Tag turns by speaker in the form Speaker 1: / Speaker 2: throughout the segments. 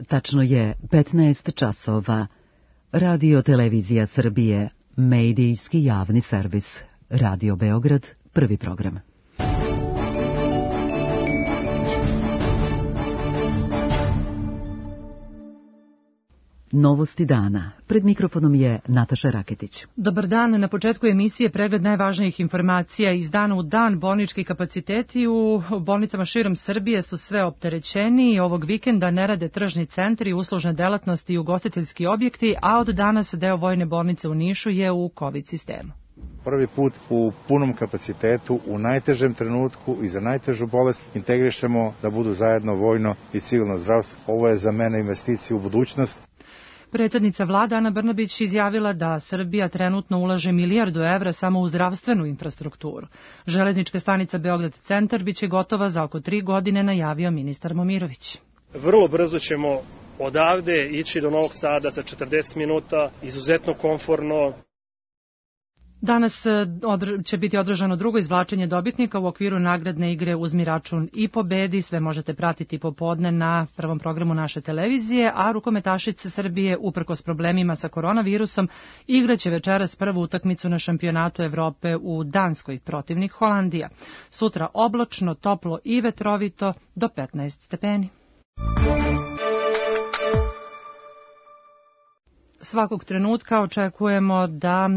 Speaker 1: tačno je 15 časova. Radio Televizija Srbije, medijski javni servis. Radio Beograd, prvi program. Novosti dana. Pred mikrofonom je Nataša Raketić.
Speaker 2: Dobar dan. Na početku emisije pregled najvažnijih informacija iz dana u dan. Bolnički kapaciteti u bolnicama širom Srbije su sve opterećeni. Ovog vikenda ne rade tržni centri, uslužne delatnosti i ugostiteljski objekti, a od danas deo vojne bolnice u Nišu je u COVID sistemu.
Speaker 3: Prvi put u punom kapacitetu, u najtežem trenutku i za najtežu bolest integrišemo da budu zajedno vojno i civilno zdravstvo. Ovo je za mene investicija u budućnost.
Speaker 2: Predsjednica vlade Ana Brnabić izjavila da Srbija trenutno ulaže milijardu evra samo u zdravstvenu infrastrukturu. Železnička stanica Beograd centar biće gotova za oko 3 godine, najavio ministar Momirović.
Speaker 4: Vrlo brzo ćemo odavde ići do Novog Sada za 40 minuta, izuzetno komforno.
Speaker 2: Danas će biti održano drugo izvlačenje dobitnika u okviru nagradne igre Uzmi račun i pobedi. Sve možete pratiti popodne na prvom programu naše televizije, a rukometašice Srbije, uprkos problemima sa koronavirusom, igraće večeras prvu utakmicu na šampionatu Evrope u Danskoj, protivnik Holandija. Sutra oblačno, toplo i vetrovito do 15 stepeni. Svakog trenutka očekujemo da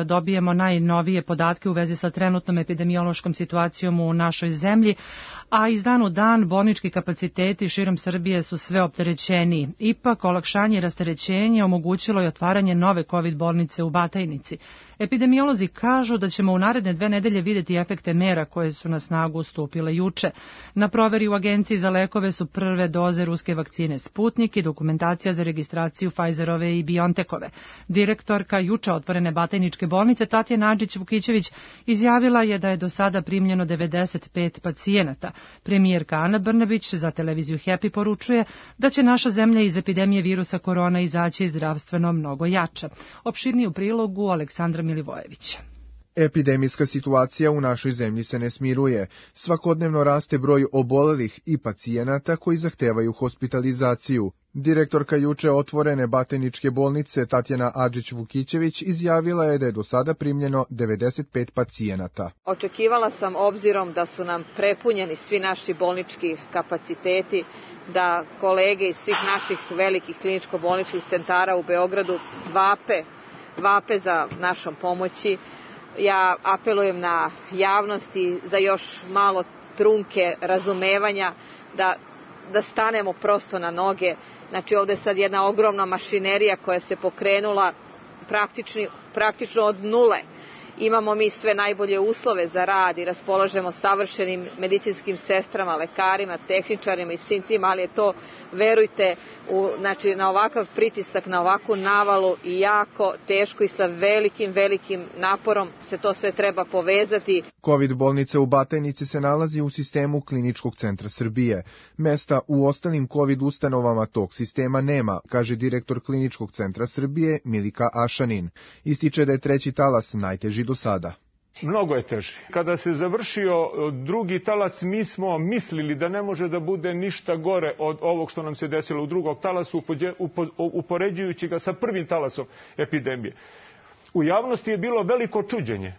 Speaker 2: dobijemo najnovije podatke u vezi sa trenutnom epidemiološkom situacijom u našoj zemlji, a iz dana u dan bolnički kapaciteti širom Srbije su sve opterećeniji. Ipak, olakšanje i rasterećenje omogućilo je otvaranje nove COVID bolnice u Batajnici. Epidemiolozi kažu da ćemo u naredne 2 nedelje vidjeti efekte mera koje su na snagu stupile juče. Na proveri u Agenciji za lekove su prve doze ruske vakcine Sputnik i dokumentacija za registraciju Pfizerove i BioNTechove. Direktorka juče otvorene Batajničke bolnice Tatjana Adžić-Vukićević izjavila je da je do sada primljeno 95 pacijenata. Premijerka Ana Brnabić za televiziju Happy poručuje da će naša zemlja iz epidemije virusa korona izaći zdravstveno mnogo jača. Opširnije u prilogu Aleksandra Milivojevića.
Speaker 5: Epidemijska situacija u našoj zemlji se ne smiruje. Svakodnevno raste broj obolelih i pacijenata koji zahtevaju hospitalizaciju. Direktorka juče otvorene Batajničke bolnice Tatjana Adžić-Vukićević izjavila je da je do sada primljeno 95 pacijenata.
Speaker 6: Očekivala sam, obzirom da su nam prepunjeni svi naši bolnički kapaciteti, da kolege iz svih naših velikih kliničko-bolničkih centara u Beogradu vape za našom pomoći. Ja apelujem na javnosti za još malo trunke razumevanja, da stanemo prosto na noge. Znači, ovde je sad jedna ogromna mašinerija koja se pokrenula praktično od nule. Imamo mi sve najbolje uslove za rad i raspolažemo savršenim medicinskim sestrama, lekarima, tehničarima i svim tim, ali je to, verujte, na ovakav pritisak, na ovakvu navalu i jako teško i sa velikim naporom se to sve treba povezati.
Speaker 5: COVID bolnica u Batajnici se nalazi u sistemu Kliničkog centra Srbije. Mesta u ostalim COVID ustanovama tog sistema nema, kaže direktor Kliničkog centra Srbije Milika Ašanin. Ističe da je 3. talas najteži do sada.
Speaker 7: Mnogo je teži. Kada se završio 2. talas, mi smo mislili da ne može da bude ništa gore od ovog što nam se desilo u 2. talasu, upoređujući ga sa 1. talasom epidemije. U javnosti je bilo veliko čuđenje.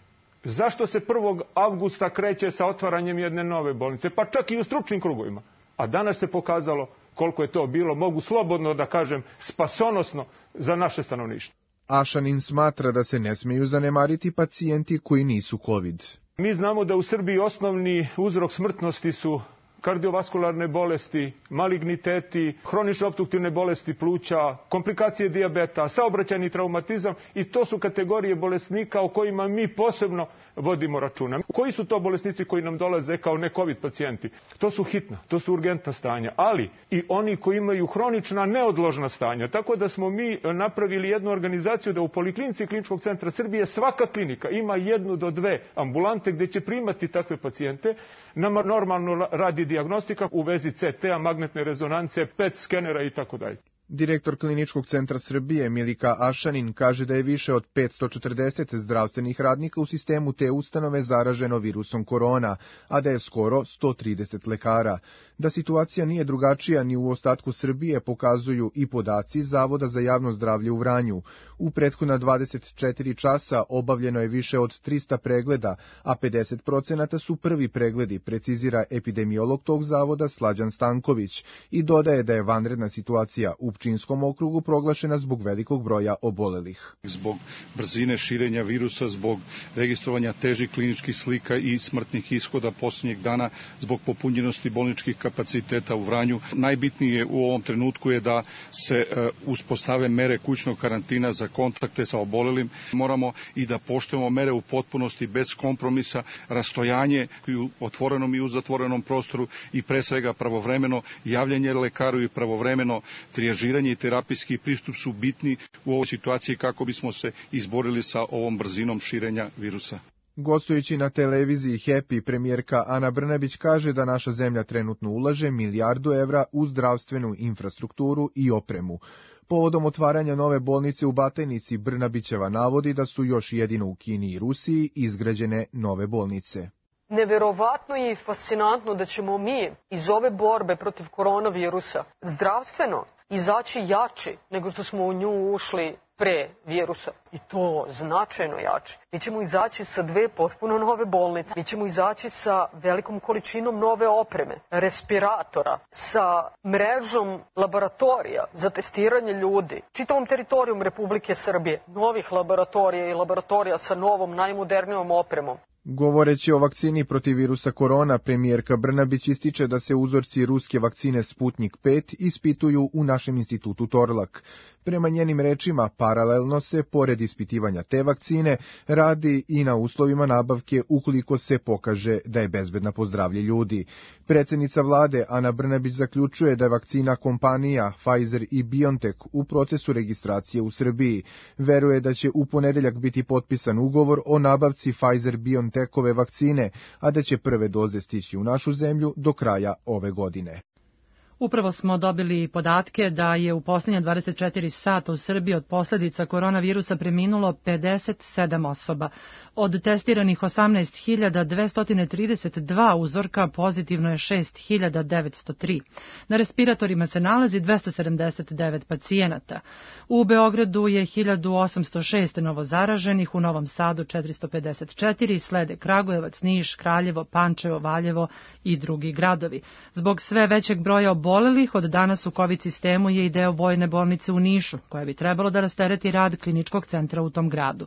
Speaker 7: Zašto se 1. avgusta kreće sa otvaranjem jedne nove bolnice, pa čak i u stručnim krugovima. A danas se pokazalo koliko je to bilo, mogu slobodno da kažem, spasonosno za naše stanovništvo.
Speaker 5: Ašanin smatra da se ne smeju zanemariti pacijenti koji nisu COVID.
Speaker 7: Mi znamo da u Srbiji osnovni uzrok smrtnosti su kardiovaskularne bolesti, maligniteti, hronične opstruktivne bolesti pluća, komplikacije dijabeta, saobraćajni traumatizam i to su kategorije bolesnika o kojima mi posebno vodimo računa. Koji su to bolesnici koji nam dolaze kao ne-COVID pacijenti? To su hitna, to su urgentna stanja, ali i oni koji imaju hronična neodložna stanja. Tako da smo mi napravili jednu organizaciju da u Poliklinici Kliničkog centra Srbije svaka klinika ima 1 do 2 ambulante gdje će primati takve pacijente. Nama normalno radi dijagnostika u vezi CT-a, magnetne rezonance, PET skenera i tako dalje.
Speaker 5: Direktor Kliničkog centra Srbije Milika Ašanin kaže da je više od 540 zdravstvenih radnika u sistemu te ustanove zaraženo virusom korona, a da je skoro 130 lekara. Da situacija nije drugačija ni u ostatku Srbije pokazuju i podaci Zavoda za javno zdravlje u Vranju. U prethodna 24 časa obavljeno je više od 300 pregleda, a 50% su prvi pregledi, precizira epidemiolog tog zavoda Slađan Stanković i dodaje da je vanredna situacija u Pčinjskom okrugu proglašena zbog velikog broja obolelih.
Speaker 8: Zbog brzine širenja virusa, zbog registrovanja težih kliničkih slika i smrtnih ishoda posljednjeg dana, zbog popunjenosti bolničkih kapaciteta u Vranju. Najbitnije u ovom trenutku je da se uspostave mere kućnog karantina za kontakte sa obolelim. Moramo i da poštujemo mere u potpunosti, bez kompromisa, rastojanje i u otvorenom i u zatvorenom prostoru i pre svega pravovremeno javljanje lekaru i pravovremeno trijažiranje i terapijski pristup su bitni u ovoj situaciji kako bismo se izborili sa ovom brzinom širenja virusa.
Speaker 5: Gostujući na televiziji Happy, premijerka Ana Brnabić kaže da naša zemlja trenutno ulaže $1 milijardu u zdravstvenu infrastrukturu i opremu. Povodom otvaranja nove bolnice u Batajnici, Brnabićeva navodi da su još jedino u Kini i Rusiji izgrađene nove bolnice.
Speaker 9: Neverovatno je i fascinantno da ćemo mi iz ove borbe protiv koronavirusa zdravstveno izaći jači nego što smo u nju ušli pre virusa. I to značajno jači. Mi ćemo izaći sa 2 potpuno nove bolnice. Mi ćemo izaći sa velikom količinom nove opreme, respiratora, sa mrežom laboratorija za testiranje ljudi. Čitavom teritorijom Republike Srbije, novih laboratorija i laboratorija sa novom, najmodernijom opremom.
Speaker 5: Govoreći o vakcini protiv virusa korona, premijerka Brnabić ističe da se uzorci ruske vakcine Sputnik 5 ispituju u našem institutu Torlak. Prema njenim rečima, paralelno se, pored ispitivanja te vakcine, radi i na uslovima nabavke ukoliko se pokaže da je bezbedna po zdravlje ljudi. Predsjednica vlade Ana Brnabić zaključuje da je vakcina kompanija Pfizer i BioNTech u procesu registracije u Srbiji. Veruje da će u ponedeljak biti potpisan ugovor o nabavci Pfizer-BioNTechove vakcine, a da će prve doze stići u našu zemlju do kraja ove godine.
Speaker 2: Upravo smo dobili podatke da je u posljednja 24 sata u Srbiji od posljedica koronavirusa preminulo 57 osoba. Od testiranih 18.232 uzorka pozitivno je 6.903. Na respiratorima se nalazi 279 pacijenata. U Beogradu je 1806 novozaraženih, u Novom Sadu 454, slede Kragujevac, Niš, Kraljevo, Pančevo, Valjevo i drugi gradovi. Zbog sve većeg broja obolelih, od danas u COVID sistemu je i deo vojne bolnice u Nišu, koja bi trebalo da rastereti rad kliničkog centra u tom gradu.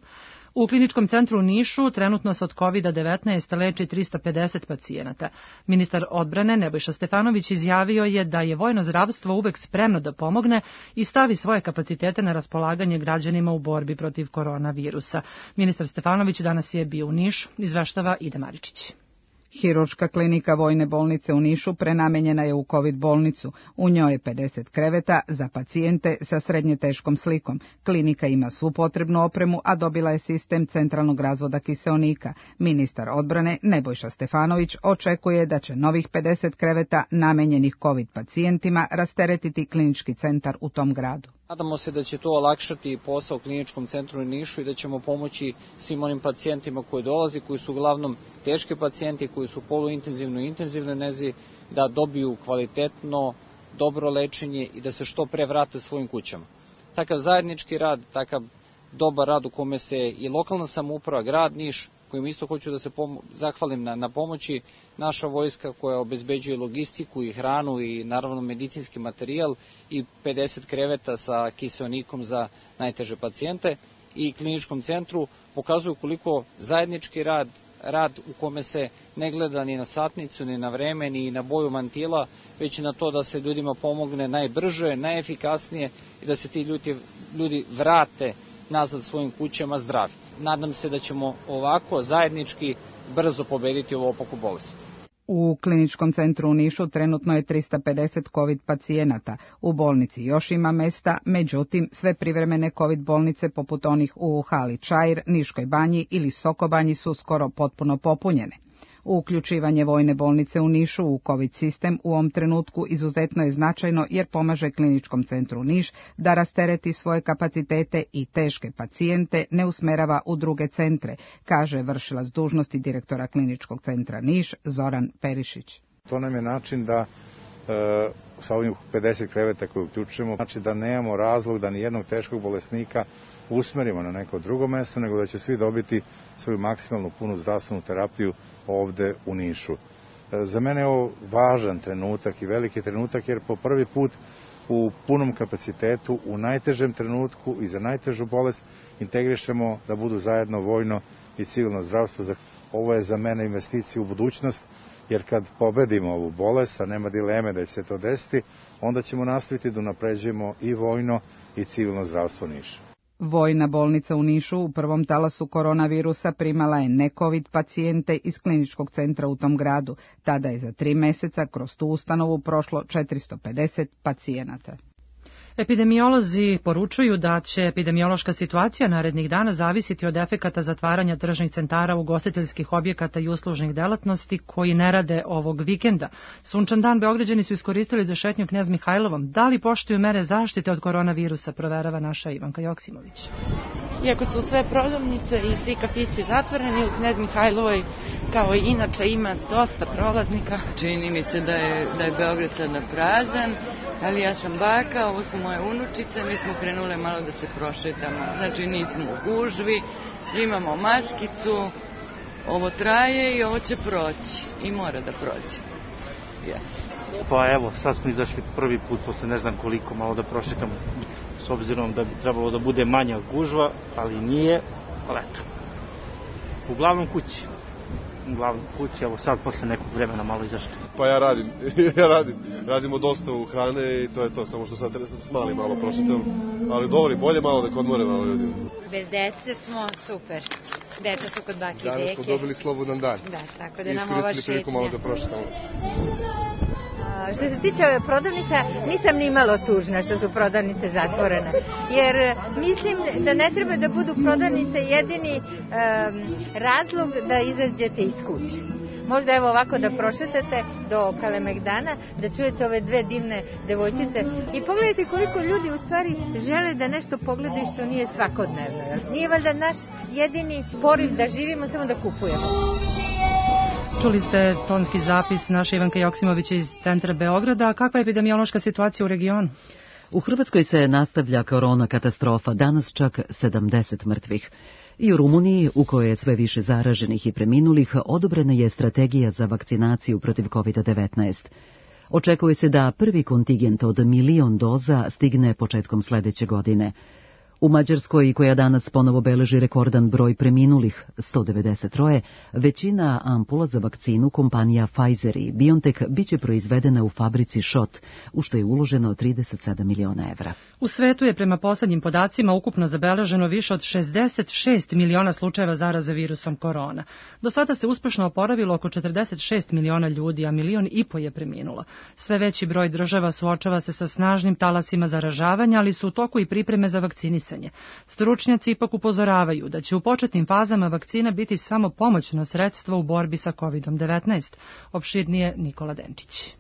Speaker 2: U kliničkom centru u Nišu trenutno se od COVID-19 leči 350 pacijenata. Ministar odbrane Nebojša Stefanović izjavio je da je vojno zdravstvo uvek spremno da pomogne i stavi svoje kapacitete na raspolaganje građanima u borbi protiv koronavirusa. Ministar Stefanović danas je bio u Nišu, izveštava Ida Maričić.
Speaker 10: Hirurška klinika Vojne bolnice u Nišu prenamenjena je u COVID bolnicu. U njoj je 50 kreveta za pacijente sa srednje teškom slikom. Klinika ima svu potrebnu opremu, a dobila je sistem centralnog razvoda kiseonika. Ministar odbrane Nebojša Stefanović očekuje da će novih 50 kreveta namenjenih COVID pacijentima rasteretiti klinički centar u tom gradu.
Speaker 11: Nadamo se da će to olakšati posao kliničkom centru u Nišu i da ćemo pomoći svim onim pacijentima koji dolazi, koji su uglavnom teški pacijenti, koji su poluintenzivno i intenzivnoj nezi, da dobiju kvalitetno, dobro lečenje i da se što pre vrate svojim kućama. Takav zajednički rad, takav dobar rad u kome se i lokalna samouprava, grad Niš, kojim isto hoću da se zahvalim na pomoći, naša vojska koja obezbeđuje logistiku i hranu i naravno medicinski materijal i 50 kreveta sa kiseonikom za najteže pacijente i kliničkom centru pokazuju koliko zajednički rad u kome se ne gleda ni na satnicu, ni na vreme, ni na boju mantila, već i na to da se ljudima pomogne najbrže, najefikasnije i da se ti ljudi vrate nazad svojim kućama zdravi. Nadam se da ćemo ovako zajednički brzo pobediti ovu opaku bolest.
Speaker 10: U kliničkom centru u Nišu trenutno je 350 COVID pacijenata. U bolnici još ima mesta, međutim sve privremene COVID bolnice poput onih u Hali Čair, Niškoj banji ili Sokobanji su skoro potpuno popunjene. Uključivanje vojne bolnice u Nišu u COVID sistem u ovom trenutku izuzetno je značajno jer pomaže Kliničkom centru Niš da rastereti svoje kapacitete i teške pacijente ne usmerava u druge centre, kaže vršilac dužnosti direktora Kliničkog centra Niš Zoran Perišić.
Speaker 3: To nam je način da sa ovim 50 kreveta koje uključujemo, znači da nemamo razlog da nijednog teškog bolesnika usmerimo na neko drugo mesto, nego da će svi dobiti svoju maksimalnu punu zdravstvenu terapiju ovde u Nišu. Za mene je ovo važan trenutak i veliki trenutak jer po prvi put u punom kapacitetu, u najtežem trenutku i za najtežu bolest integrišemo da budu zajedno vojno i civilno zdravstvo. Ovo je za mene investicija u budućnost, jer kad pobedimo ovu bolest, a nema dileme da će se to desiti, onda ćemo nastaviti da unapređujemo i vojno i civilno zdravstvo Niša.
Speaker 10: Vojna bolnica u Nišu u prvom talasu koronavirusa primala je ne-COVID pacijente iz kliničkog centra u tom gradu. Tada je za 3 meseca kroz tu ustanovu prošlo 450 pacijenata.
Speaker 2: Epidemiolozi poručuju da će epidemiološka situacija narednih dana zavisiti od efekata zatvaranja tržnih centara, ugostiteljskih objekata i uslužnih delatnosti koji ne rade ovog vikenda. Sunčan dan Beograđani su iskoristili za šetnju Knez Mihajlovom. Da li poštuju mere zaštite od koronavirusa, proverava naša Ivanka Joksimović.
Speaker 12: Iako su sve prodavnice i svi kafići zatvoreni, u Knez Mihajlovoj kao i inače ima dosta prolaznika.
Speaker 13: Čini mi se da je Beograd sada prazan, ali ja sam baka, ovo su moje unučice, mi smo krenule malo da se prošetamo. Znači nismo u gužvi, imamo maskicu, ovo traje i ovo će proći i mora da proći.
Speaker 14: Pa evo, sad smo izašli prvi put posle ne znam koliko, malo da prošetamo, s obzirom da bi trebalo da bude manja gužva, ali nije, ali eto. Uglavnom kući, evo sad posle nekog vremena malo izašli.
Speaker 15: Pa ja radimo dostavu hrane i to je to, samo što sad smali malo prošetam, ali dobro, bolje malo da odmore malo ljudi.
Speaker 16: Bez dece smo super, deca su kod bake i deke.
Speaker 15: Danas smo dobili slobodan dan.
Speaker 16: Da, tako da nam ova šetnja.
Speaker 15: Priliku malo da prošetamo.
Speaker 16: Što se tiče ove prodavnica, nisam ni malo tužna što su prodavnice zatvorene, jer mislim da ne treba da budu prodavnice jedini razlog da izađete iz kuće. Možda evo ovako da prošetate do Kalemegdana, da čujete ove dve divne devojčice i pogledajte koliko ljudi u stvari žele da nešto pogledaju što nije svakodnevno. Nije valjda naš jedini poriv da živimo samo da kupujemo.
Speaker 2: Čuli ste tonski zapis naše Ivanke Joksimovića iz centra Beograda. Kakva je epidemiološka situacija u regionu?
Speaker 1: U Hrvatskoj se nastavlja korona katastrofa, danas čak 70 mrtvih. I u Rumuniji, u kojoj je sve više zaraženih i preminulih, odobrena je strategija za vakcinaciju protiv COVID-19. Očekuje se da prvi kontingent od 1 milion doza stigne početkom sledeće godine. U Mađarskoj, koja danas ponovo beleži rekordan broj preminulih, 193, većina ampula za vakcinu kompanija Pfizer i BioNTech biće proizvedena u fabrici Schott, u što je uloženo 37 miliona evra.
Speaker 2: U svetu je prema poslednjim podacima ukupno zabeleženo više od 66 miliona slučajeva zaraze virusom korona. Do sada se uspešno oporavilo oko 46 miliona ljudi, a 1,5 miliona je preminulo. Sve veći broj država suočava se sa snažnim talasima zaražavanja, ali su u toku i pripreme za vakcinisanje. Stručnjaci ipak upozoravaju da će u početnim fazama vakcina biti samo pomoćno sredstvo u borbi sa COVID-19. Opširnije Nikola Denčić.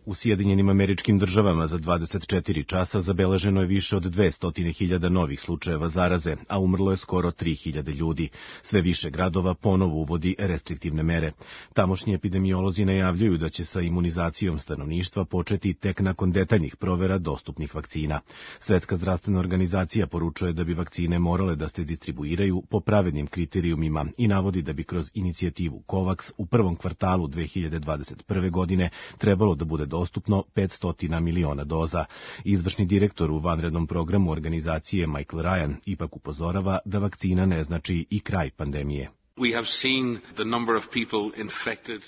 Speaker 17: U Sjedinjenim Američkim Državama za 24 časa zabeleženo je više od 200.000 novih slučajeva zaraze, a umrlo je skoro 3.000 ljudi. Sve više gradova ponovo uvodi restriktivne mere. Tamošnji epidemiolozi najavljuju da će sa imunizacijom stanovništva početi tek nakon detaljnih provera dostupnih vakcina. Svetska zdravstvena organizacija poručuje da bi vakcine morale da se distribuiraju po pravednim kriterijumima i navodi da bi kroz inicijativu COVAX u prvom kvartalu 2021. godine trebalo da bude dostupno 500 miliona doza. Izvršni direktor u vanrednom programu organizacije Michael Ryan ipak upozorava da vakcina ne znači i kraj pandemije.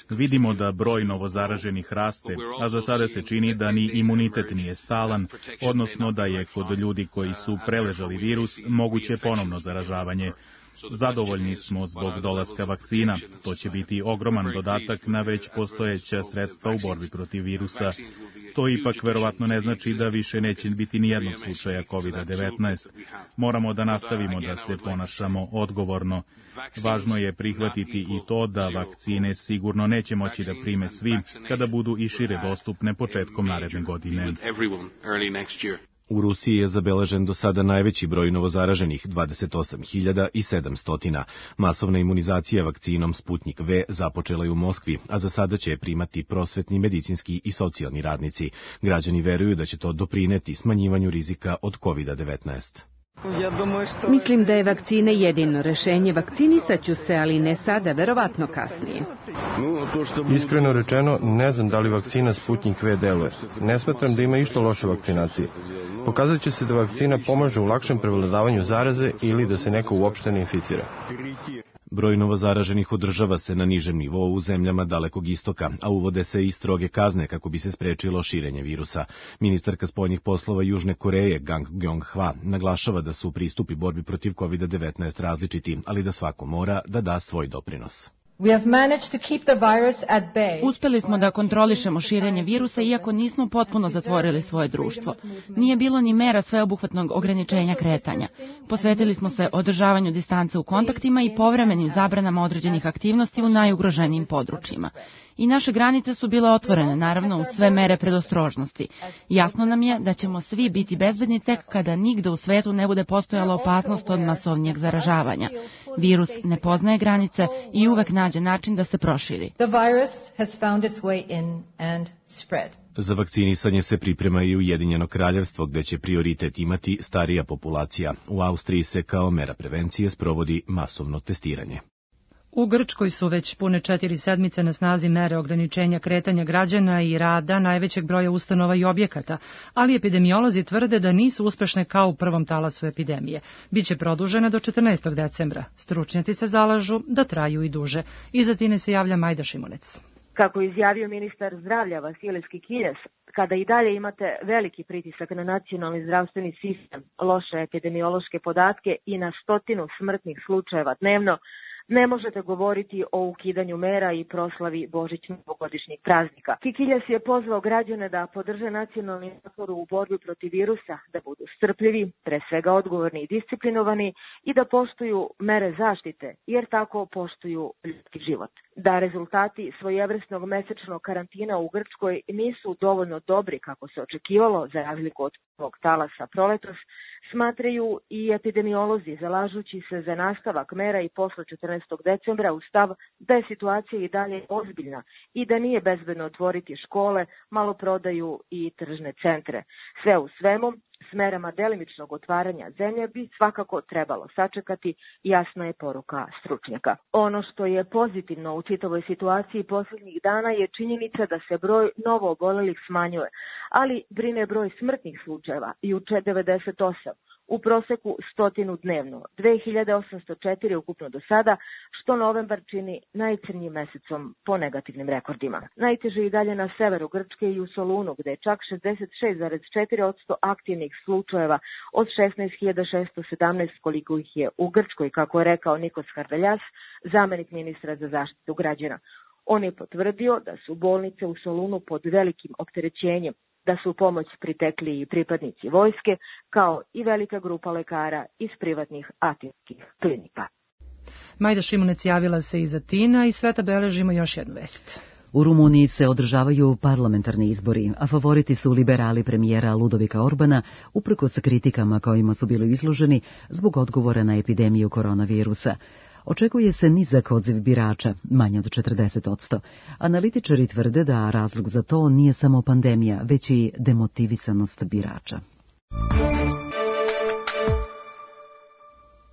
Speaker 18: Vidimo da broj novozaraženih raste, a za sada se čini da ni imunitet nije stalan, odnosno da je kod ljudi koji su preležali virus moguće ponovno zaražavanje. Zadovoljni smo zbog dolaska vakcina. To će biti ogroman dodatak na već postojeća sredstva u borbi protiv virusa. To ipak verovatno ne znači da više neće biti nijednog slučaja COVID-19. Moramo da nastavimo da se ponašamo odgovorno. Važno je prihvatiti i to da vakcine sigurno neće moći da prime svi kada budu i šire dostupne početkom naredne godine.
Speaker 17: U Rusiji je zabeležen do sada najveći broj novozaraženih, 28.700. Masovna imunizacija vakcinom Sputnik V započela je u Moskvi, a za sada će je primati prosvetni, medicinski i socijalni radnici. Građani veruju da će to doprineti smanjivanju rizika od COVID-19.
Speaker 19: Mislim da je vakcina jedino rešenje. Vakcinisat ću se, ali ne sada, verovatno kasnije.
Speaker 20: Iskreno rečeno, ne znam da li vakcina Sputnik V deluje. Ne smatram da ima išta loše vakcinacije. Pokazat će se da vakcina pomaže u lakšem prevladavanju zaraze ili da se neko uopšte ne inficira.
Speaker 17: Broj novozaraženih održava se na nižem nivou u zemljama Dalekog istoka, a uvode se i stroge kazne kako bi se sprečilo širenje virusa. Ministarka spoljnih poslova Južne Koreje, Gang Gyeong-hwa, naglašava da su pristupi borbi protiv COVID-19 različiti, ali da svako mora da da svoj doprinos.
Speaker 12: Uspeli smo da kontrolišemo širenje virusa iako nismo potpuno zatvorili svoje društvo. Nije bilo ni mera sveobuhvatnog ograničenja kretanja. Posvetili smo se održavanju distance u kontaktima i povremenim zabranama određenih aktivnosti u najugroženijim područjima. I naše granice su bile otvorene, naravno, uz sve mere predostrožnosti. Jasno nam je da ćemo svi biti bezbedni tek kada nigde u svetu ne bude postojala opasnost od masovnijeg zaražavanja. Virus ne poznaje granice i uvek nađe način da se proširi.
Speaker 17: Za vakcinisanje se priprema i Ujedinjeno Kraljevstvo, gde će prioritet imati starija populacija. U Austriji se kao mera prevencije sprovodi masovno testiranje.
Speaker 2: U Grčkoj su već pune 4 sedmice na snazi mere ograničenja kretanja građana i rada najvećeg broja ustanova i objekata, ali epidemiolozi tvrde da nisu uspešne kao u prvom talasu epidemije. Biće produžena do 14. decembra. Stručnjaci se zalažu da traju i duže. Iza Tine se javlja Majda Šimunec.
Speaker 21: Kako je izjavio ministar zdravlja Vasilis Kikiles, kada i dalje imate veliki pritisak na nacionalni zdravstveni sistem, loše epidemiološke podatke i na 100 smrtnih slučajeva dnevno, ne možete govoriti o ukidanju mera i proslavi božićno-novogodišnjeg praznika. Kikiljas je pozvao građane da podrže nacionalni napor u borbi protiv virusa, da budu strpljivi, pre svega odgovorni i disciplinovani i da poštuju mere zaštite, jer tako poštuju ljudski život. Da rezultati svojevrsnog mesečnog karantina u Grčkoj nisu dovoljno dobri kako se očekivalo za razliku od prvog talasa proletos, smatraju i epidemiolozi, zalažući se za nastavak mera i posle 14. decembra u stav da je situacija i dalje ozbiljna i da nije bezbedno otvoriti škole, maloprodaju i tržne centre. Sve u svemu, s merama delimičnog otvaranja zemlje bi svakako trebalo sačekati, jasna je poruka stručnjaka. Ono što je pozitivno u čitavoj situaciji posljednjih dana je činjenica da se broj novo obolelih smanjuje, ali brine broj smrtnih slučajeva, juče 98, u proseku 100 dnevno, 2804 ukupno do sada, što novembar čini najcrnjim mesecom po negativnim rekordima. Najteže i dalje na severu Grčke i u Solunu, gde je čak 66,4% aktivnih slučajeva od 16.617 koliko ih je u Grčkoj, kako je rekao Nikos Harveljas, zamenik ministra za zaštitu građana. On je potvrdio da su bolnice u Solunu pod velikim opterećenjem, da su u pomoć pritekli i pripadnici vojske, kao i velika grupa lekara iz privatnih atinskih klinika.
Speaker 2: Majda Šimunec javila se iz Atina i sveta beležimo još jednu vest.
Speaker 1: U Rumuniji se održavaju parlamentarni izbori, a favoriti su liberali premijera Ludovika Orbana, uprkos kritikama kojima su bili izloženi zbog odgovora na epidemiju koronavirusa. Očekuje se nizak odziv birača, manje od 40%. Analitičari tvrde da razlog za to nije samo pandemija, već i demotivisanost birača.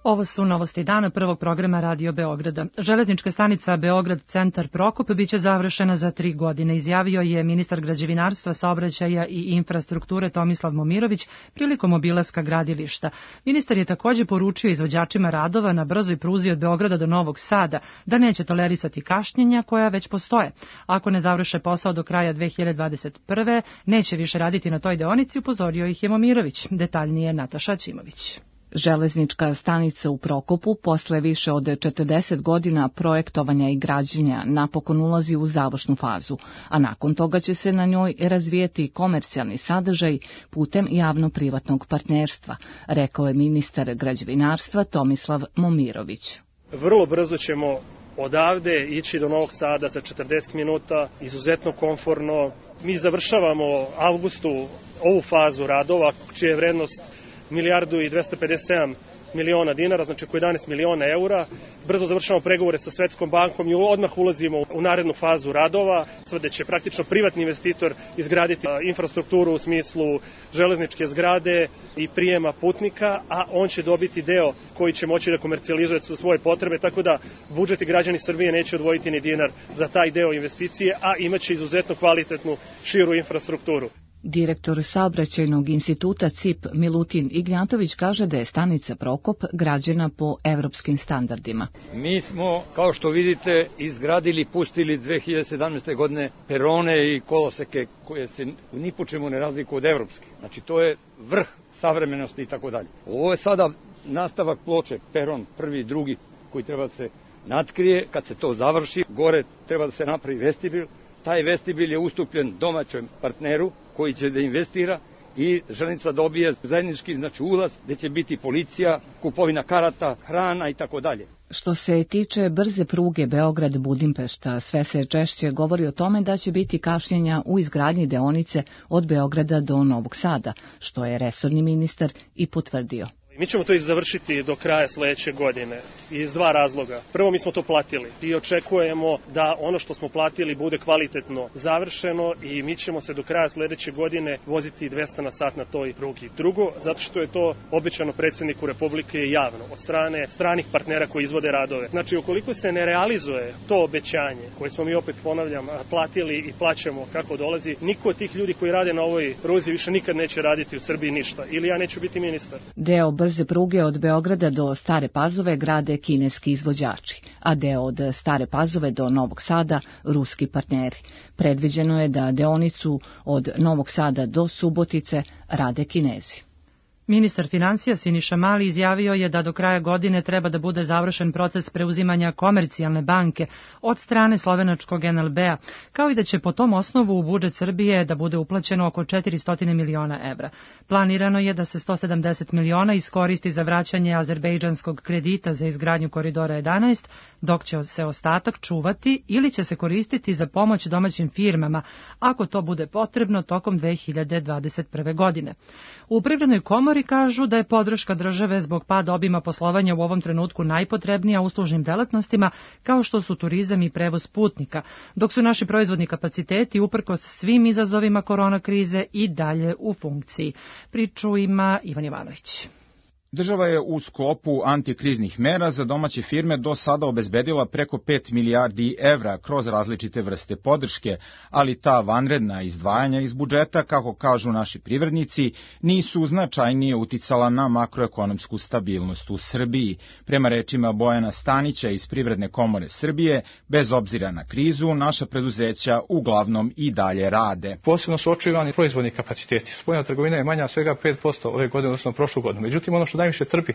Speaker 2: Ovo su novosti dana prvog programa Radio Beograda. Železnička stanica Beograd Centar Prokop biće završena za 3 godine, izjavio je ministar građevinarstva, saobraćaja i infrastrukture Tomislav Momirović prilikom obilaska gradilišta. Ministar je također poručio izvođačima radova na brzoj pruzi od Beograda do Novog Sada da neće tolerisati kašnjenja koja već postoje. Ako ne završe posao do kraja 2021. neće više raditi na toj deonici, upozorio ih je Momirović. Detaljnije Nataša Ćimović.
Speaker 4: Železnička stanica u Prokopu posle više od 40 godina projektovanja i građenja napokon ulazi u završnu fazu, a nakon toga će se na njoj razvijeti komercijalni sadržaj putem javno-privatnog partnerstva, rekao je ministar građevinarstva Tomislav Momirović.
Speaker 22: Vrlo brzo ćemo odavde ići do Novog Sada za 40 minuta, izuzetno komforno. Mi završavamo avgustu ovu fazu radova, čija je vrednost 1.257 miliona dinara, znači oko 11 miliona eura. Brzo završavamo pregovore sa Svetskom bankom i odmah ulazimo u narednu fazu radova, gde će praktično privatni investitor izgraditi infrastrukturu u smislu železničke zgrade i prijema putnika, a on će dobiti deo koji će moći da komercijalizuje za svoje potrebe, tako da budžet i građani Srbije neće odvojiti ni dinar za taj deo investicije, a imaće izuzetno kvalitetnu širu infrastrukturu.
Speaker 4: Direktor Saobraćajnog instituta CIP Milutin Ignjatović kaže da je stanica Prokop građena po evropskim standardima.
Speaker 23: Mi smo, kao što vidite, izgradili, pustili 2017. godine perone i koloseke koje se ni po čemu ne razlikuju od evropskih. Znači to je vrh savremenosti i tako dalje. Ovo je sada nastavak ploče, peron prvi i drugi koji treba da se natkrije. Kad se to završi, gore treba da se napravi vestibil. Taj vestibil je ustupljen domaćem partneru koji će da investira i železnica dobije zajednički ulaz gde će biti policija, kupovina karata, hrana i tako dalje.
Speaker 4: Što se tiče brze pruge Beograd-Budimpešta, sve se češće govori o tome da će biti kašnjenja u izgradnji deonice od Beograda do Novog Sada, što je resorni ministar i potvrdio.
Speaker 22: Mi ćemo to završiti do kraja sledeće godine iz dva razloga. Prvo, mi smo to platili i očekujemo da ono što smo platili bude kvalitetno završeno i mi ćemo se do kraja sledeće godine voziti 200 na sat na toj prugi. Drugo, zato što je to obećano predsjedniku Republike javno od strane stranih partnera koji izvode radove. Znači, ukoliko se ne realizuje to obećanje koje smo mi, opet ponavljam, platili i plaćamo kako dolazi, niko od tih ljudi koji rade na ovoj pruzi više nikad neće raditi u Srbiji ništa ili ja neću biti ministar.
Speaker 4: Deo brze pruge od Beograda do Stare Pazove grade kineski izvođači, a deo od Stare Pazove do Novog Sada ruski partneri. Predviđeno je da deonicu od Novog Sada do Subotice rade Kinezi.
Speaker 2: Ministar financija Siniša Mali izjavio je da do kraja godine treba da bude završen proces preuzimanja Komercijalne banke od strane slovenačkog NLB-a, kao i da će po tom osnovu u budžet Srbije da bude uplaćeno oko 400 miliona evra. Planirano je da se 170 miliona iskoristi za vraćanje azerbejdžanskog kredita za izgradnju koridora 11, dok će se ostatak čuvati ili će se koristiti za pomoć domaćim firmama, ako to bude potrebno tokom 2021. godine. U Privrednoj komori kažu da je podrška države zbog pada obima poslovanja u ovom trenutku najpotrebnija uslužnim delatnostima kao što su turizam i prevoz putnika, dok su naši proizvodni kapaciteti uprkos svim izazovima korona krize i dalje u funkciji. Priču ima Ivan Ivanović.
Speaker 24: Država je u sklopu antikriznih mera za domaće firme do sada obezbedila preko 5 milijardi evra kroz različite vrste podrške, ali ta vanredna izdvajanja iz budžeta, kako kažu naši privrednici, nisu značajnije uticala na makroekonomsku stabilnost u Srbiji. Prema rečima Bojana Stanića iz Privredne komore Srbije, bez obzira na krizu, naša preduzeća uglavnom i dalje rade.
Speaker 25: Posebno su očuvani proizvodni kapaciteti. Spoljna trgovina je manja svega 5% ove godine, odnosno prošlu godinu. Međutim, ono što najviše trpi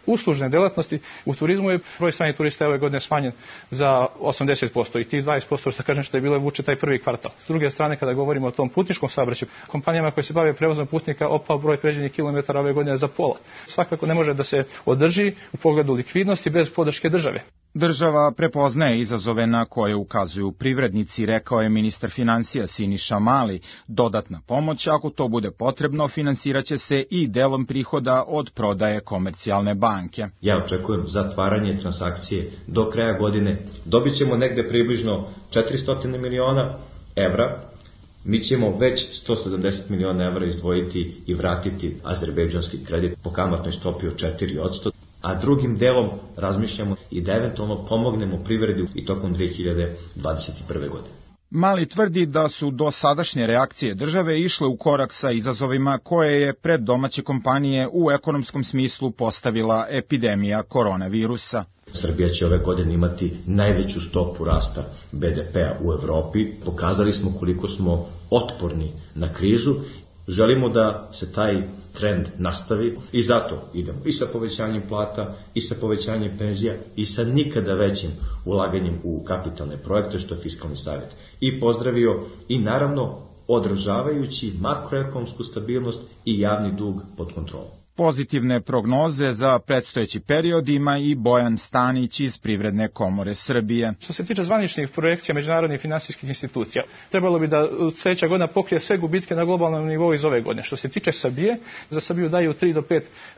Speaker 25: uslužne delatnosti, u turizmu je broj stranih turista ove godine smanjen za 80% i tih 20% što kažem što je bilo vuče taj prvi kvartal. S druge strane, kada govorimo o tom putničkom saobraćaju, kompanijama koje se bave prevozom putnika opao broj pređenih kilometara ove godine za pola. Svakako ne može da se održi u pogledu likvidnosti bez podrške države.
Speaker 24: Država prepoznaje izazove na koje ukazuju privrednici, rekao je ministar financija Siniša Mali. Dodatna pomoć, ako to bude potrebno, finansiraće se i delom prihoda od prodaje Komercijalne banke.
Speaker 26: Ja očekujem zatvaranje transakcije do kraja godine. Dobit ćemo negde približno 400 miliona evra. Mi ćemo već 170 miliona evra izdvojiti i vratiti azerbejdžanski kredit po kamatnoj stopi od 4%. A drugim delom razmišljamo i da eventualno pomognemo privredi i tokom 2021. godine.
Speaker 24: Mali tvrdi da su dosadašnje reakcije države išle u korak sa izazovima koje je pred domaće kompanije u ekonomskom smislu postavila epidemija koronavirusa.
Speaker 26: Srbija će ove godine imati najveću stopu rasta BDP-a u Evropi. Pokazali smo koliko smo otporni na krizu Želimo da se taj trend nastavi i zato idemo i sa povećanjem plata, i sa povećanjem penzija, i sa nikada većim ulaganjem u kapitalne projekte, što je Fiskalni savjet i pozdravio, i naravno održavajući makroekonomsku stabilnost i javni dug pod kontrolom.
Speaker 24: Pozitivne prognoze za predstojeći period ima i Bojan Stanić iz Privredne komore Srbije.
Speaker 25: Što se tiče zvaničnih projekcija međunarodnih finansijskih institucija, trebalo bi da sljedeća godina pokrije sve gubitke na globalnom nivou iz ove godine. Što se tiče Srbije, za Srbiju daju 3 do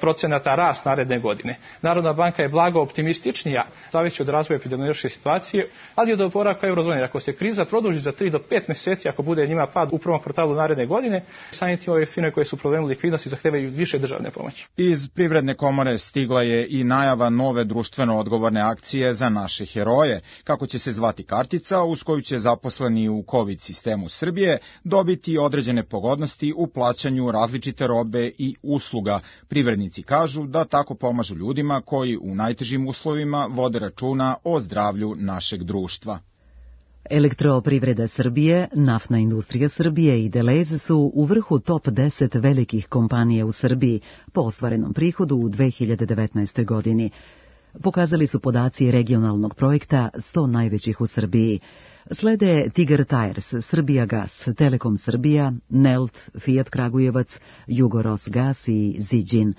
Speaker 25: 5% rast naredne godine. Narodna banka je blago optimističnija, zavisi od razvoja epidemiološke situacije, ali i od oporavka eurozone. Ako se kriza produži za 3 do 5 mjeseci, ako bude njima pad u prvom kvartalu naredne godine, samim tim ove firme koje su problemu likvidnosti zahtevaju više državne pomoći.
Speaker 24: Iz Privredne komore stigla je i najava nove društveno odgovorne akcije za naše heroje, kako će se zvati kartica uz koju će zaposleni u COVID sistemu Srbije dobiti određene pogodnosti u plaćanju različite robe i usluga. Privrednici kažu da tako pomažu ljudima koji u najtežim uslovima vode računa o zdravlju našeg društva.
Speaker 1: Elektroprivreda Srbije, Naftna industrija Srbije i Delez su u vrhu top 10 velikih kompanija u Srbiji po ostvarenom prihodu u 2019. godini. Pokazali su podaci regionalnog projekta 100 najvećih u Srbiji. Slede Tigar Tires, Srbijagas, Telekom Srbija, Nelt, Fiat Kragujevac, Jugorosgas i Ziđin.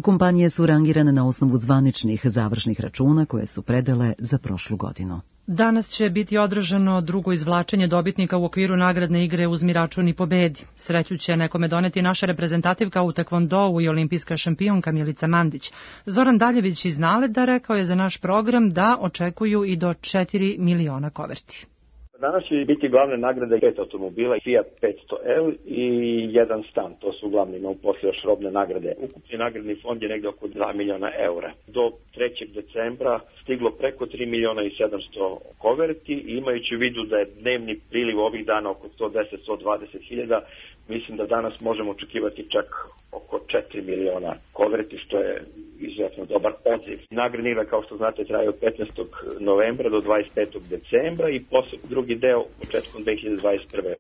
Speaker 1: Kompanije su rangirane na osnovu zvaničnih završnih računa koje su predale za prošlu godinu.
Speaker 2: Danas će biti održano drugo izvlačenje dobitnika u okviru nagradne igre Uzmi račun i pobedi. Sreću će nekome doneti naša reprezentativka u tekvondou i olimpijska šampionka Milica Mandić. Zoran Daljević iz Naleda rekao je za naš program da očekuju i do 4 miliona koverti.
Speaker 5: Danas će biti glavne nagrade 5 automobila, Fiat 500L i jedan stan. To su uglavnom, imamo posle još robne nagrade. Ukupni nagradni fond je negde oko 2 miliona eura. Do 3. decembra stiglo preko 3 miliona i 700 koverti i imajući u vidu da je dnevni priliv ovih dana oko 110-120 hiljada, mislim da danas možemo očekivati čak oko 4 miliona koverti, što je izuzetno dobar odziv. Nagradna igra, kao što znate, traje od 15. novembra do 25. decembra i posle drugi deo početkom 2021.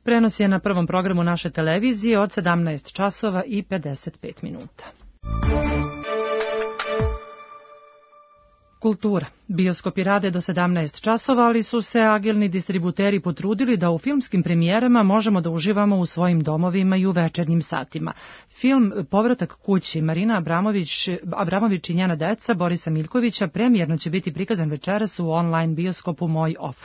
Speaker 2: Prenos je na prvom programu naše televizije od 17 časova i 55 minuta. Kultura. Bioskopi rade do 17 časova, ali su se agilni distributeri potrudili da u filmskim premijerama možemo da uživamo u svojim domovima i u večernjim satima. Film Povratak kući Marina Abramović i njena deca Borisa Miljkovića premijerno će biti prikazan večeras u online bioskopu Moj Off.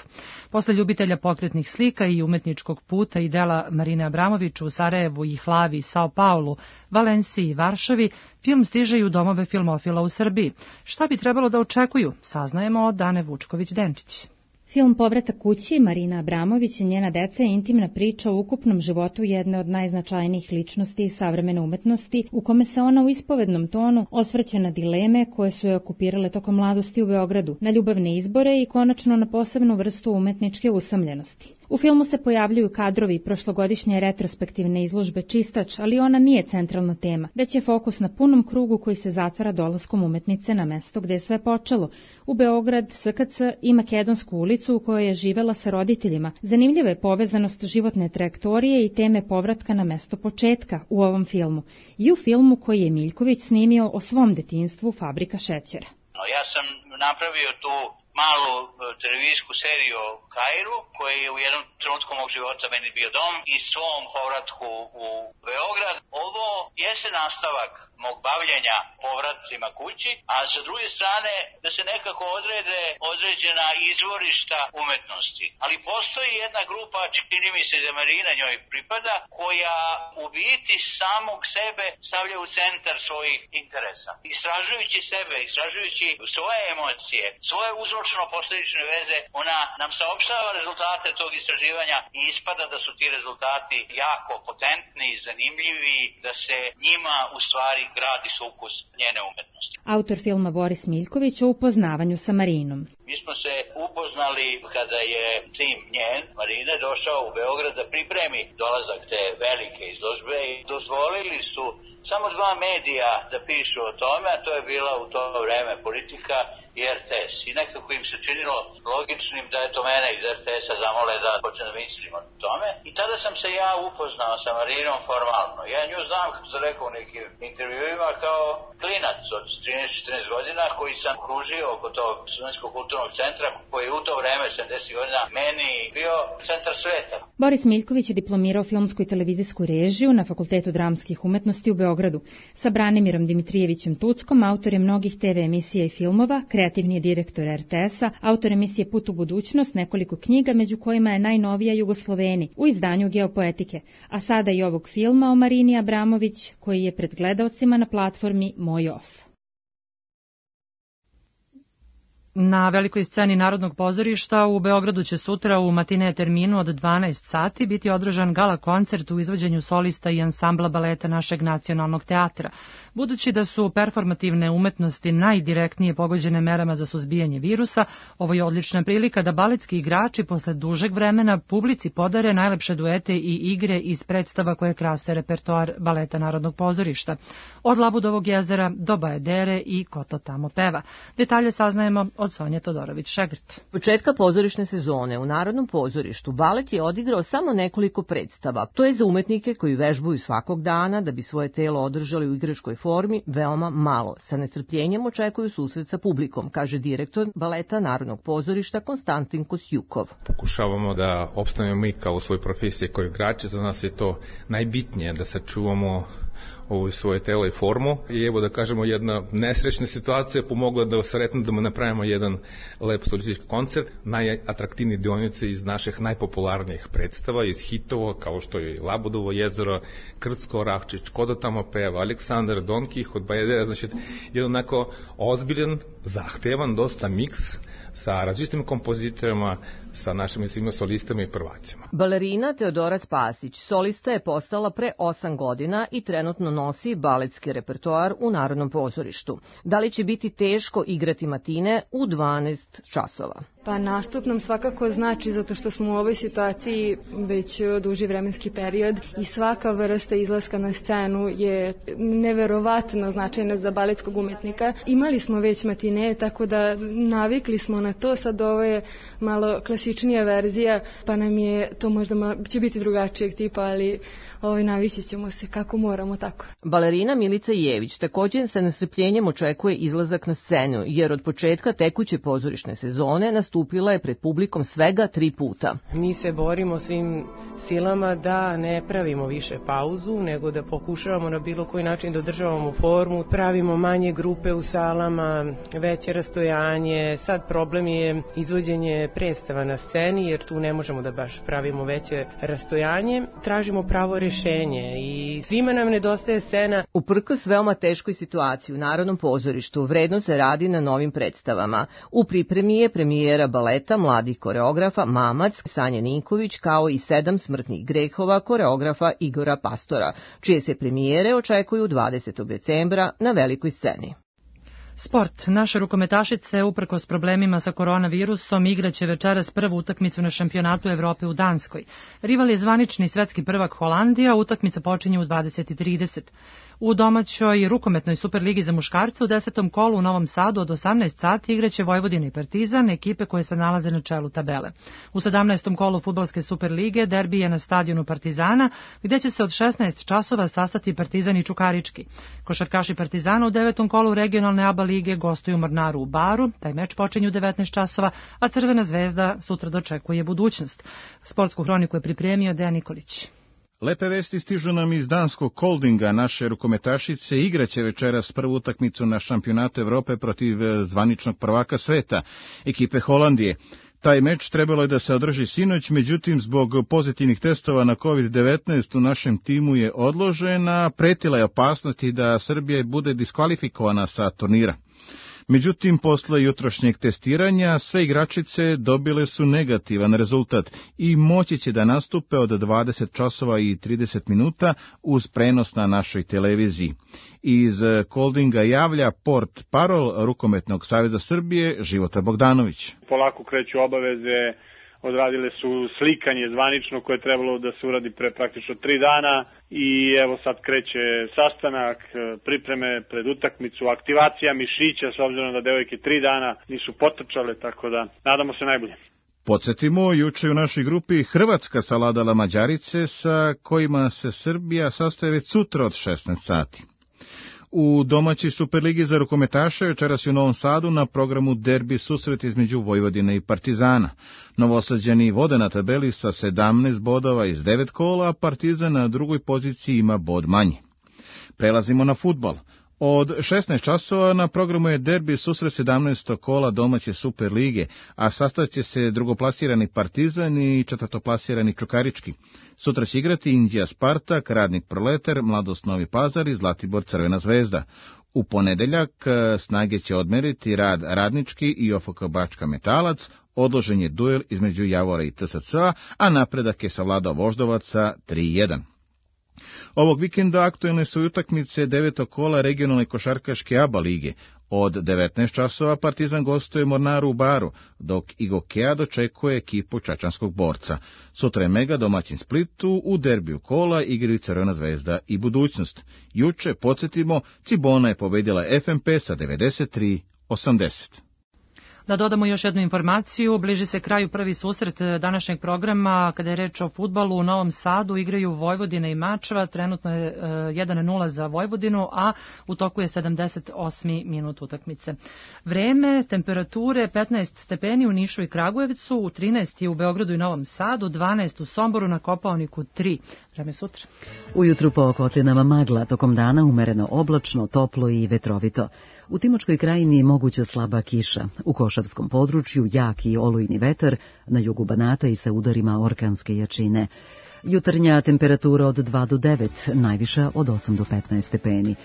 Speaker 2: Posle ljubitelja pokretnih slika i umetničkog puta i dela Marine Abramović u Sarajevu i Hlavi, Sao Paulu, Valenciji i Varšavi, film stiže i u domove filmofila u Srbiji. Šta bi trebalo da očekuju? Saznajemo od Dane Vučković-Denčić.
Speaker 6: Film Povratak kući Marina Abramović i njena deca je intimna priča o ukupnom životu jedne od najznačajnijih ličnosti savremene umetnosti, u kome se ona u ispovednom tonu osvrće na dileme koje su je okupirale tokom mladosti u Beogradu, na ljubavne izbore i konačno na posebnu vrstu umetničke usamljenosti. U filmu se pojavljuju kadrovi prošlogodišnje retrospektivne izložbe Čistač, ali ona nije centralna tema, već je fokus na punom krugu koji se zatvara dolaskom umetnice na mesto gde je sve počelo, u Beograd, SKC i Makedonsku ulicu u kojoj je živela sa roditeljima. Zanimljiva je povezanost životne trajektorije i teme povratka na mesto početka u ovom filmu i u filmu koji je Miljković snimio o svom detinjstvu Fabrika šećera.
Speaker 7: Ja sam napravio tu malu televizijsku seriju o Kairu, koji je u jednom trenutku mog života meni bio dom i svom povratku u Beograd. Ovo jeste nastavak mog bavljenja povratcima kući, a sa druge strane da se nekako odrede određena izvorišta umetnosti. Ali postoji jedna grupa, čini mi se da Marina njoj pripada, koja u biti samog sebe stavlja u centar svojih interesa. Istražujući sebe, istražujući svoje emocije, svoje uzročno-posledične veze, ona nam saopštava rezultate tog istraživanja i ispada da su ti rezultati jako potentni, zanimljivi, da se njima u stvari gradi sukus njene umetnosti.
Speaker 6: Autor filma Boris Miljković o upoznavanju sa Marinom.
Speaker 7: Mi smo se upoznali kada je tim njen, Marine, došao u Beograd da pripremi dolazak te velike izložbe i dozvolili su samo 2 medija da pišu o tome, a to je bila u to vreme Politika i RTS. I nekako im se činilo logičnim da eto mene iz RTS-a zamole da počnem da mislim o tome. I tada sam se ja upoznao sa Marinom formalno. Ja nju znam, kako sam rekao u nekim intervjuima, kao klinac od 13-14 godina koji sam kružio oko tog Studentskog kulturnog centra koji je u to vreme, 70 godina, meni bio centar sveta.
Speaker 6: Boris Miljković je diplomirao filmsku i televizijsku režiju na Fakultetu dramskih umetnosti u Beogradu. Sa Branimirom Dimitrijevićem Tuckom, autor je mnogih TV emisija i filmova, kreativni je direktor RTS-a, autor emisije Put u budućnost, nekoliko knjiga, među kojima je najnovija Jugosloveni u izdanju Geopoetike, a sada i ovog filma o Marini Abramović koji je pred gledaocima na platformi Moj Off.
Speaker 2: Na velikoj sceni Narodnog pozorišta u Beogradu će sutra u matine terminu od 12 sati biti održan gala koncert u izvođenju solista i ansambla baleta našeg nacionalnog teatra. Budući da su performativne umetnosti najdirektnije pogođene merama za suzbijanje virusa, ovo je odlična prilika da baletski igrači posle dužeg vremena publici podare najlepše duete i igre iz predstava koje krase repertoar baleta Narodnog pozorišta. Od Labudovog jezera do Bajedere i Ko to tamo peva. Detalje saznajemo od Sonje Todorović-Šegrt.
Speaker 3: Početka pozorišne sezone u Narodnom pozorištu balet je odigrao samo nekoliko predstava. To je za umetnike koji vežbuju svakog dana da bi svoje telo održali u igračkoj formi veoma malo. Sa nestrpljenjem očekuju susret sa publikom, kaže direktor baleta Narodnog pozorišta Konstantin Kosjukov.
Speaker 8: Pokušavamo da opstanemo mi kao u svojoj profesiji kao igrači, za nas je to najbitnije da sačuvamo ovo svoje telo i formu. I evo da kažemo, jedna nesrećna situacija pomogla da sretno da napravimo jedan lep solistički koncert. Najatraktivniji dionice iz naših najpopularnijih predstava, iz hitova kao što je Labudovo jezero, Krcko, Rahčić, Ko da tamo peva, Aleksandar, Don Kihot, Bajedera, znači jedan onako ozbiljan, zahtevan, dosta miks sa različitim kompozitorima, sa našim svima solistama i prvacima.
Speaker 3: Balerina Teodora Spasić, solista je postala pre 8 godina i trenutno nosi baletski repertoar u Narodnom pozorištu. Da li će biti teško igrati matine u 12 časova?
Speaker 9: Pa nastup nam svakako znači, zato što smo u ovoj situaciji već duži vremenski period i svaka vrsta izlaska na scenu je neverovatno značajna za baletskog umetnika. Imali smo već matine, tako da navikli smo na to, sad ovo je malo klasičnija verzija, pa nam je to možda će biti drugačijeg tipa, ali navići ćemo se kako moramo tako.
Speaker 3: Balerina Milica Jević također sa nestrpljenjem očekuje izlazak na scenu, jer od početka tekuće pozorišne sezone nastupila je pred publikom svega 3 puta.
Speaker 10: Mi se borimo svim silama da ne pravimo više pauzu, nego da pokušavamo na bilo koji način da održavamo formu, pravimo manje grupe u salama, veće rastojanje. Sad problem je izvođenje predstava na sceni, jer tu ne možemo da baš pravimo veće rastojanje. Tražimo pravo rešenje i svima nam nedostaje scena.
Speaker 3: Uprkos veoma teškoj situaciji u Narodnom pozorištu, vredno se radi na novim predstavama. U pripremi je premijera baleta mladih koreografa Mamac, Sanje Ninković, kao i 7 smrtnih grehova koreografa Igora Pastora, čije se premijere očekuju 20. decembra na velikoj sceni.
Speaker 2: Sport. Naše rukometašice, uprkos problemima sa koronavirusom, igraće večeras prvu utakmicu na šampionatu Evrope u Danskoj. Rival je zvanični svetski prvak Holandija, utakmica počinje u 20:30. U domaćoj rukometnoj Superligi za muškarce u 10. kolu u Novom Sadu od 18 sati igraće Vojvodina i Partizan, ekipe koje se nalaze na čelu tabele. U 17. kolu fudbalske Superlige derbi je na stadionu Partizana, gdje će se od 16 časova sastati Partizan i Čukarički. Košarkaši Partizana u 9. kolu regionalne ABA lige gostuju Mornaru u Baru, taj meč počinje u 19 časova, a Crvena zvezda sutra dočekuje budućnost. Sportsku hroniku je pripremio Dejan Nikolić.
Speaker 11: Lepe vesti stižu nam iz danskog Koldinga. Naše rukometašice igraće večeras prvu utakmicu na šampionatu Evrope protiv zvaničnog prvaka sveta, ekipe Holandije. Taj meč trebalo je da se održi sinoć, međutim zbog pozitivnih testova na COVID-19 u našem timu je odložena, pretila je opasnosti da Srbija bude diskvalifikovana sa turnira. Međutim, posle jutrošnjeg testiranja, sve igračice dobile su negativan rezultat i moći će da nastupe od 20 časova i 30 minuta uz prenos na našoj televiziji. Iz Koldinga javlja port parol Rukometnog saveza Srbije Života Bogdanović.
Speaker 13: Polako kreću obaveze odradile su slikanje zvanično koje je trebalo da se uradi pre praktično 3 dana i evo sad kreće sastanak, pripreme pred utakmicu, aktivacija mišića s obzirom da devojke 3 dana nisu potrčale, tako da nadamo se najbolje.
Speaker 11: Podsjetimo, juče u našoj grupi Hrvatska savladala Mađarice sa kojima se Srbija sastaje već sutra od 16 sati. U domaćoj Superligi za rukometaše večeras u Novom Sadu na programu derbi susret između Vojvodine i Partizana. Novosađani vode na tabeli sa 17 bodova iz 9 kola, a Partizan na drugoj poziciji ima bod manje. Prelazimo na fudbal. Od 16 časova na programu je derbi susret 17. kola domaće Superlige, a sastaće se drugoplasirani Partizan i četvrtoplasirani Čukarički. Sutra će igrati Indija Spartak, Radnik Proletar, Mladost Novi Pazar i Zlatibor Crvena Zvezda. U ponedeljak snage će odmeriti Rad Radnički i OFK Bačka Metalac, odložen je duel između Javora i TSC-a, a napredak je savladao Voždovaca 3-1. Ovog vikenda aktuelne su utakmice 9. kola regionalne košarkaške ABA lige. Od 19 časova Partizan gostuje Mornaru u Baru, dok Igokea dočekuje ekipu Čačanskog Borca. Sutra je Mega domaćin Splitu, u derbiju kola igraju Crvena Zvezda i Budućnost. Juče, podsjetimo, Cibona je pobedila FNP sa 93-80.
Speaker 2: Da dodamo još jednu informaciju, bliži se kraju prvi susret današnjeg programa. Kada je reč o fudbalu, u Novom Sadu igraju Vojvodina i Mačva, trenutno je 1-0 za Vojvodinu, a u toku je 78. minut utakmice. Vreme, temperature 15 stepeni u Nišu i Kragujevcu, u 13 je u Beogradu i Novom Sadu, 12 u Somboru, na Kopaoniku 3. Vreme sutra.
Speaker 1: Ujutru po Okotinama magla, tokom dana umereno oblačno, toplo i vetrovito. U Timočkoj krajini moguća slaba kiša, u Košavskom području jak i olujni vetar, na jugu Banata i sa udarima orkanske jačine. Jutarnja temperatura od 2 do 9, najviša od 8 do 15 stepeni.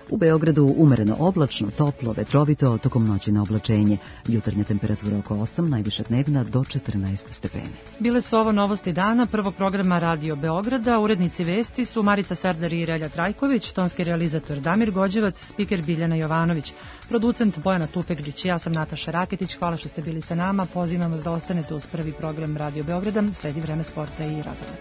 Speaker 1: U Beogradu umereno oblačno, toplo, vetrovito, tokom noći na oblačenje. Jutarnja temperatura oko 8, najviša dnevna do 14 stepeni.
Speaker 2: Bile su ovo novosti dana prvog programa Radio Beograda. Urednici vesti su Marica Serdar i Relja Trajković, tonski realizator Damir Gođevac, spiker Biljana Jovanović, producent Bojana Tupegđić. Ja sam Nataša Raketić. Hvala što ste bili sa nama. Pozivam vas da ostanete uz prvi program Radio Beograda. Sledi vreme sporta i razgleda.